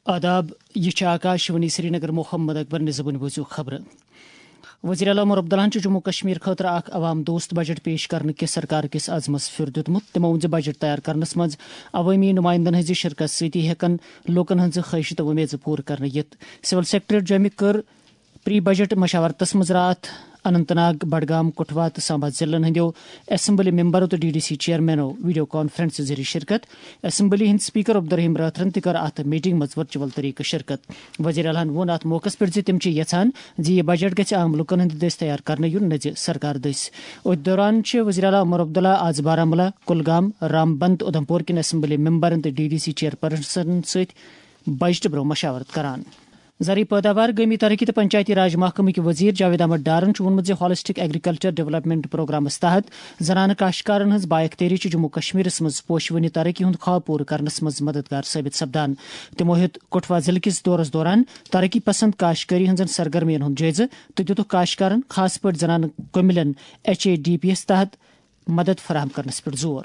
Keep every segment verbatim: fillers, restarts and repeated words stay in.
آداب، یہِ چھِ آکاش وانی سرینگر۔ محمد اکبر نِزبُن بوٗزِو خبرٕ۔ وزیر اعلیٰ عمر عبداللہَن چھُ جموں کشمیر خٲطرٕ اکھ عوام دوست بجٹ پیش کرنہٕ کِس سرکار کِس عزمس پھِر دیُتمُت۔ تِمو ووٚن زِ بجٹ تیار کرنس منٛز عوٲمی نمائندن ہٕنٛزِ شرکت سۭتۍ ہٮ۪کن لوٗکن ہٕنٛزٕ خٲہشہٕ تہٕ وۄمیژٕ پوٗرٕ کرنہٕ یِتھ۔ سول سیکرٹریٹ جوٚمہِ کٔر پری بجٹ مشاورتس منٛز راتھ اننت ناگ، بڈگام، کٹھوا تہٕ سامبا ضلعن ہٕنٛدیو اسمبلی ممبرو تہٕ ڈی ڈی سی چیئرمینو ویڈیو کانفرنس ذٔریعہٕ شرکت۔ اسمبلی ہٕنٛدۍ اسپیکر عبدالرحیم رٲتھرن تہِ کٔر اتھ میٹنگ منٛز ورچوئل طریقہٕ شرکت۔ وزیر اعلیٰ ہَن ووٚن اتھ موقعس پٮ۪ٹھ زِ تِم چھِ یژھان زِ یہِ بجٹ گژھِ عام لوٗکن ہٕنٛدِ دٔسۍ تیار کرنہٕ یُن، نہ زِ سرکار دٔسۍ۔ أتھۍ دوران چھِ وزیر اعلیٰ عمر عبداللہ آز بارہمولہ، کُلگام، رامبند تہٕ اُدھمپور کٮ۪ن اسمبلی ممبرن تہٕ ڈی ڈی سی چیئرپرسنن سۭتۍ بجٹہٕ برٛونٛہہ مشاورت کران۔ زرعی پٲداوار، گٲمی ترقی تہٕ پنچایتی راج محکمٕکۍ وزیر جاوید احمد ڈارن چھُ ووٚنمُت زِ ہالسٹک ایگریکلچر ڈیولپمنٹ پروگرامس تحت زنانہٕ کاشتکارن ہٕنٛز با اختیٲری چھِ جموں کشمیرس منٛز پوشہٕ وٕنہِ ترقی ہُنٛد خواب پوٗرٕ کرنس منٛز مددگار ثٲبت سپدان۔ تِمو ہیوٚت کٹھوا ضلعہٕ کِس دورس دوران ترقی پسند کاشتکٲری ہٕنٛزن سرگرمین ہُنٛد جٲیزٕ تہٕ دِتُکھ کاشتکارن، خاص پٲٹھۍ زنانہٕ کٔمِلٮ۪ن، ایچ اے ڈی پی یَس تحت مدد فراہم کرنس پٮ۪ٹھ زور۔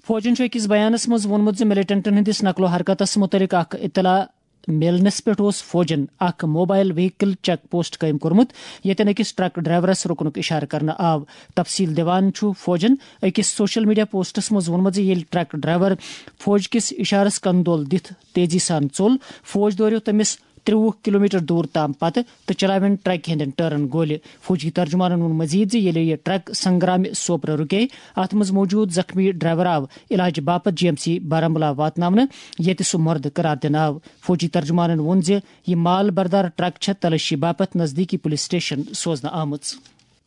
فوجن چھُ أکِس بیانس منٛز ووٚنمُت زِ ملیٹنٹن ہٕنٛدِس نقل و حرکتس مُتعلق اکھ اطلاع میلنس پٮ۪ٹھ اوس فوجن اکھ موبائل وہیکل چیک پوسٹ قٲیِم کوٚرمُت، ییٚتٮ۪ن أکِس ٹرک ڈرائیورس رُکنُک اشارٕ کرنہٕ آو۔ تفصیل دِوان چھُ فوجن أکِس سوشل میڈیا پوسٹس منٛز ووٚنمُت زِ ییٚلہِ ٹرک ڈرائیور فوج کِس اشارس کندول دِتھ تیزی سان ژوٚل، فوج دوریو تٔمِس ترٛوُہ کلومیٹر دوٗر تام پتہٕ تہٕ چلاوٮ۪ن ٹرکہِ ہٕنٛدٮ۪ن ٹٲرن گولہِ۔ فوجی ترجمانن ووٚن مزید زِ ییٚلہِ یہِ ٹرک سنگرامہِ سوپرٕ رُکے، اتھ منٛز موجود زخمی ڈرائیور آو علاج باپتھ جی ایم سی بارہمولہ واتناونہٕ، ییٚتہِ سُہ مردٕ قرار دِنہٕ آو۔ فوجی ترجمانن ووٚن زِ یہِ مال بردار ٹرک چھےٚ تلٲشی باپتھ نزدیکی پولیس سٹیشن سوزنہٕ آمٕژ۔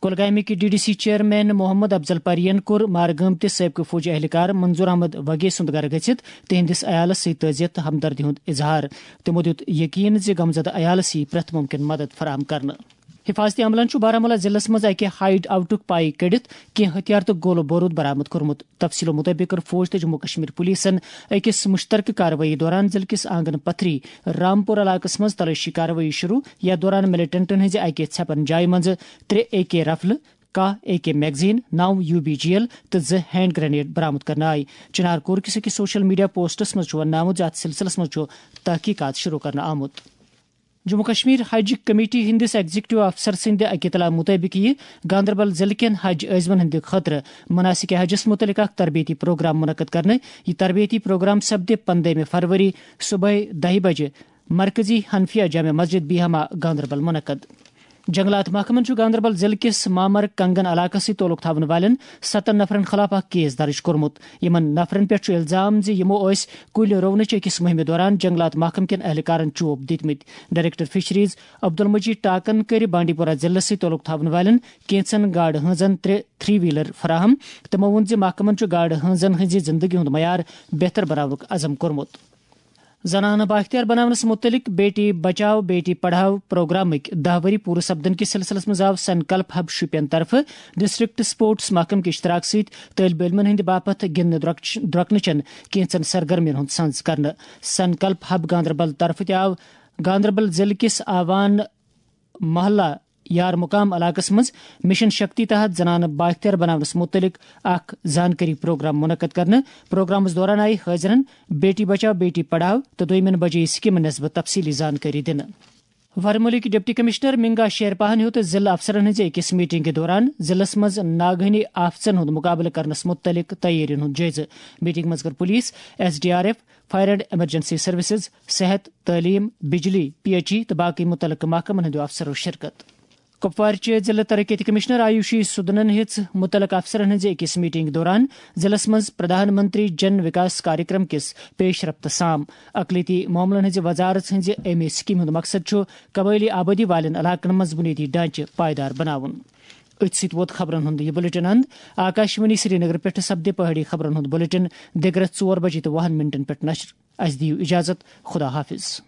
کۄلگامٕکۍ D D C chairman Mohammad Afzal پرین کوٚر مارٕ گٲمتِس سٲبقہٕ فوجی اہلکار منظور احمد وگے سُنٛد گرٕ گٔژھِتھ تِہنٛدِس عیالس سۭتۍ تعزیت تہٕ ہمدردی ہُنٛد اظہار۔ تِمو دیُت یقین زِ غمزدٕ عیالس یِیہِ پرٛٮ۪تھ مُمکِن مدد فراہم کرنہٕ۔ حفاظتی عملن چھُ بارہمولہ ضلعس منٛز اکہِ ہائیڈ آؤٹُک پاے کٔڑِتھ کینٛہہ ہتھیار تہٕ گولہٕ بوروٗد برآمد کوٚرمُت۔ تفصیلو مُطٲبِق کٔر فوج تہٕ جموں کشمیر پولیسن أکِس مُشترکہٕ کاروٲیی دوران ضلعہٕ کِس آنگن پتھری رامپور علاقس منٛز تلٲشی کاروٲیی شروع، یتھ دوران ملیٹنٹن ہٕنٛزِ اکہِ ژھٮ۪پن جایہِ منٛز ترٛےٚ اے کے رفلہٕ، کاہ اے کے میگزین، نو یو بی جی ایل تہٕ زٕ ہینڈ گرنیڈ برآمد کرنہٕ آیہِ۔ چنار کور کِس أکِس سوشل میڈیا پوسٹس منٛز چھُ وننہٕ آمُت زِ اتھ سلسلس منٛز چھُ تحقیقات شروع کرنہٕ آمُت۔ جموں کشمیر حج کمیٹی ہٕنٛدِس ایگزیکٹو افسر سٕنٛدِ اکہِ اطلاع مُطٲبِق یِیہِ گاندربل ضلعہٕ کٮ۪ن حج عٲزمن ہٕنٛدِ خٲطرٕ مناسک حجس مُتعلق اکھ تربیتی پروگرام منعقد کرنہٕ۔ یہِ تربیتی پروگرام سپدِ پندہمہِ فروری صبحٲے دَہہِ بجہِ مرکزی حنفیہ جامع مسجد بیہما گاندربل منعقد۔ جنگلات محکمن چھُ گاندربل ضلعہٕ کِس مامر کنگن علاقس سۭتۍ تعلق تھاون والٮ۪ن ستن نفرن خلاف اکھ کیس درج کوٚرمُت۔ یِمن نفرن پٮ۪ٹھ چھُ الزام زِ یِمو ٲسۍ کُلۍ رُونٕچ أکِس مُہِمہِ دوران جنگلات محکمہٕ کٮ۪ن اہلکارن چوب دِتمٕتۍ۔ ڈائریکٹر فشریز عبدالمجید ٹاکن کٔرۍ بانڈی پورہ ضلعس سۭتۍ تعلق تھاون والٮ۪ن کینژن گاڈٕ ہٲنزن ترٛےٚ تھری ویلر فراہم۔ تِمو ووٚن زِ محکمن چھُ گاڈٕ ہٲنزن ہٕنزِ زندگی ہُنٛد معیار بہتر بناونُک عزم کوٚرمُت۔ زنانہٕ بااختیار بناونس مُتعلق بیٹی بچاو بیٹی پڑھاو پروگرامٕکۍ دَہ ؤری پوٗرٕ سپدن کِس سلسلس منٛز آو سنکلپ ہب شوپین طرفہٕ ڈسٹرکٹ سپورٹس محکمہٕ کہِ اشتراک سۭتۍ طٲلبہِ علمن ہٕنٛدِ باپتھ گِنٛدنہٕ درۄکھ-، درۄکنہٕ چٮ۪ن کینژن سرگرمین ہُنٛد سنز کرنہٕ۔ سنکلپ ہب گاندربل طرفہٕ تہِ آو گاندربل ضلعہٕ کِس آوان محلہ یار مقام علاقس منٛز مشن شکتی تحت زنانہٕ بااختیار بناونس متعلق اکھ زانکٲری پروگرام منعقد کرنہٕ۔ پروگرامس دوران آیہِ حٲضرن بیٹی بچاو بیٹی پڑھاو تہٕ دوٚیمٮ۪ن بجے سکیمن نسبت تفصیلی زانکٲری دِنہٕ۔ ورمُلٕکۍ ڈپٹی کمشنر منگا شیرپاہن ہیوٚت ضلعہٕ افسرن ہٕنٛزِ أکِس میٹنگہِ دوران ضلعس منٛز ناگہٲنی آفژن ہُنٛد مُقابلہٕ کرنس مُتعلق تیٲرین ہُنٛد جٲیزٕ۔ میٹنگ منٛز کٔر police, S D R F, fire and emergency services, صحت، تعلیم، بجلی، پی ایچ ای تہٕ باقی متعلقہٕ محکمن ہٕنٛدیو افسرو شرکت۔ کپوارچہِ ضلعہٕ ترقیتی کمشنر آیوشی سدنن ہیٚژ متعلقہٕ افسرن ہٕنٛزِ أکِس میٹنگ دوران ضلعس منٛز پردھان منتری جن وکاس کاریکرم کِس پیش رفت سام۔ اقلیتی معاملن ہٕنٛزِ وزارت ہٕنٛزِ اَمہِ سکیمہِ ہُنٛد مقصد چھُ قبٲئلی آبٲدی والٮ۪ن علاقن منٛز بنیٲدی ڈھانچہٕ پائیدار بناوُن۔ أتھۍ سۭتۍ ووت خبرن ہُنٛد یہِ بلیٹن اند۔ آکاشوانی سرینگر پٮ۪ٹھٕ سپدِ پہٲڑی خبرن ہُنٛد بلیٹن دِگرس ژور بجے تہٕ وُہن منٹن پٮ۪ٹھ نشر۔ اسہِ دِیِو اجازت۔ خدا حافظ۔